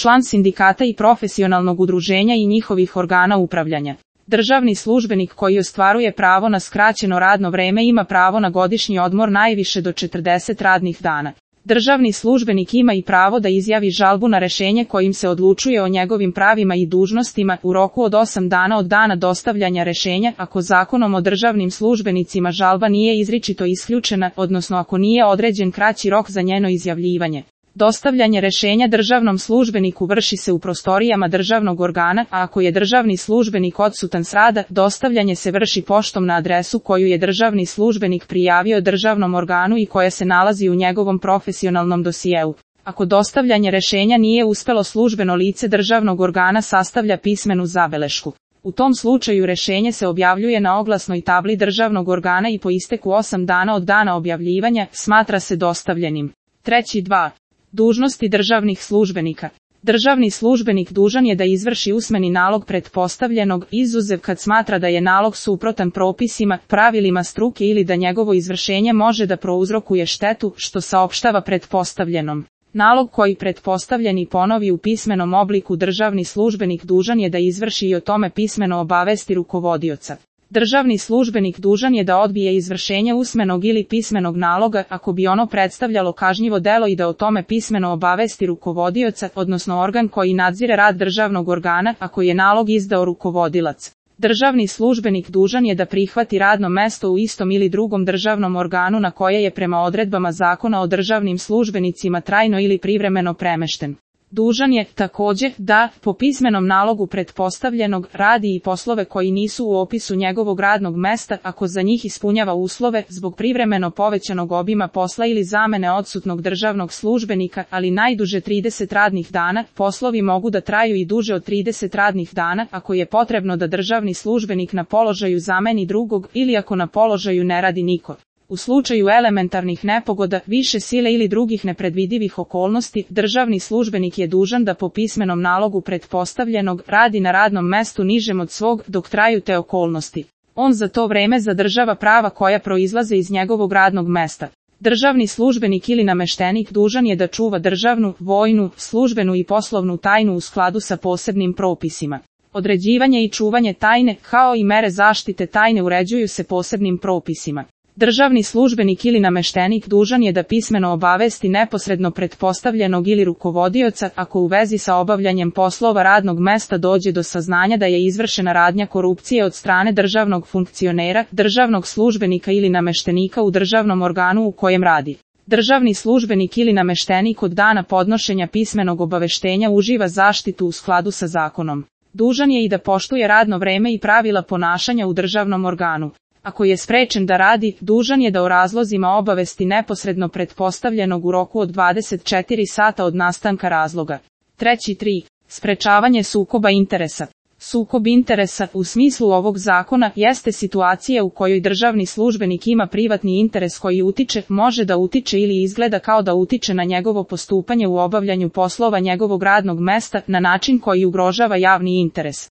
član sindikata i profesionalnog udruženja i njihovih organa upravljanja. Državni službenik koji ostvaruje pravo na skraćeno radno vreme ima pravo na godišnji odmor najviše do 40 radnih dana. Državni službenik ima i pravo da izjavi žalbu na rešenje kojim se odlučuje o njegovim pravima i dužnostima u roku od 8 dana od dana dostavljanja rešenja, ako zakonom o državnim službenicima žalba nije izričito isključena, odnosno ako nije određen kraći rok za njeno izjavljivanje. Dostavljanje rešenja državnom službeniku vrši se u prostorijama državnog organa, a ako je državni službenik odsutan s rada, dostavljanje se vrši poštom na adresu koju je državni službenik prijavio državnom organu i koja se nalazi u njegovom profesionalnom dosijeu. Ako dostavljanje rešenja nije uspelo, službeno lice državnog organa sastavlja pismenu zabelešku. U tom slučaju rešenje se objavljuje na oglasnoj tabli državnog organa i po isteku 8 dana od dana objavljivanja smatra se dostavljenim. 3.2. Dužnosti državnih službenika. Državni službenik dužan je da izvrši usmeni nalog pretpostavljenog, izuzev kad smatra da je nalog suprotan propisima, pravilima struke ili da njegovo izvršenje može da prouzrokuje štetu, što saopštava pretpostavljenom. Nalog koji pretpostavljeni ponovi u pismenom obliku državni službenik dužan je da izvrši i o tome pismeno obavesti rukovodioca. Državni službenik dužan je da odbije izvršenje usmenog ili pismenog naloga ako bi ono predstavljalo kažnjivo delo i da o tome pismeno obavesti rukovodioca, odnosno organ koji nadzire rad državnog organa, ako je nalog izdao rukovodilac. Državni službenik dužan je da prihvati radno mesto u istom ili drugom državnom organu na koje je prema odredbama Zakona o državnim službenicima trajno ili privremeno premešten. Dužan je, također, da, po pismenom nalogu pretpostavljenog, radi i poslove koji nisu u opisu njegovog radnog mesta, ako za njih ispunjava uslove, zbog privremeno povećanog obima posla ili zamene odsutnog državnog službenika, ali najduže 30 radnih dana. Poslovi mogu da traju i duže od 30 radnih dana, ako je potrebno da državni službenik na položaju zameni drugog, ili ako na položaju ne radi niko. U slučaju elementarnih nepogoda, više sile ili drugih nepredvidivih okolnosti, državni službenik je dužan da po pismenom nalogu pretpostavljenog radi na radnom mestu nižem od svog dok traju te okolnosti. On za to vreme zadržava prava koja proizlaze iz njegovog radnog mesta. Državni službenik ili nameštenik dužan je da čuva državnu, vojnu, službenu i poslovnu tajnu u skladu sa posebnim propisima. Određivanje i čuvanje tajne, kao i mere zaštite tajne uređuju se posebnim propisima. Državni službenik ili nameštenik dužan je da pismeno obavesti neposredno pretpostavljenog ili rukovodioca ako u vezi sa obavljanjem poslova radnog mesta dođe do saznanja da je izvršena radnja korupcije od strane državnog funkcionera, državnog službenika ili nameštenika u državnom organu u kojem radi. Državni službenik ili nameštenik od dana podnošenja pismenog obaveštenja uživa zaštitu u skladu sa zakonom. Dužan je i da poštuje radno vreme i pravila ponašanja u državnom organu. Ako je sprečen da radi, dužan je da o razlozima obavesti neposredno pretpostavljenog u roku od 24 sata od nastanka razloga. 3.3. Sprečavanje sukoba interesa. Sukob interesa, u smislu ovog zakona, jeste situacija u kojoj državni službenik ima privatni interes koji utiče, može da utiče ili izgleda kao da utiče na njegovo postupanje u obavljanju poslova njegovog radnog mesta na način koji ugrožava javni interes.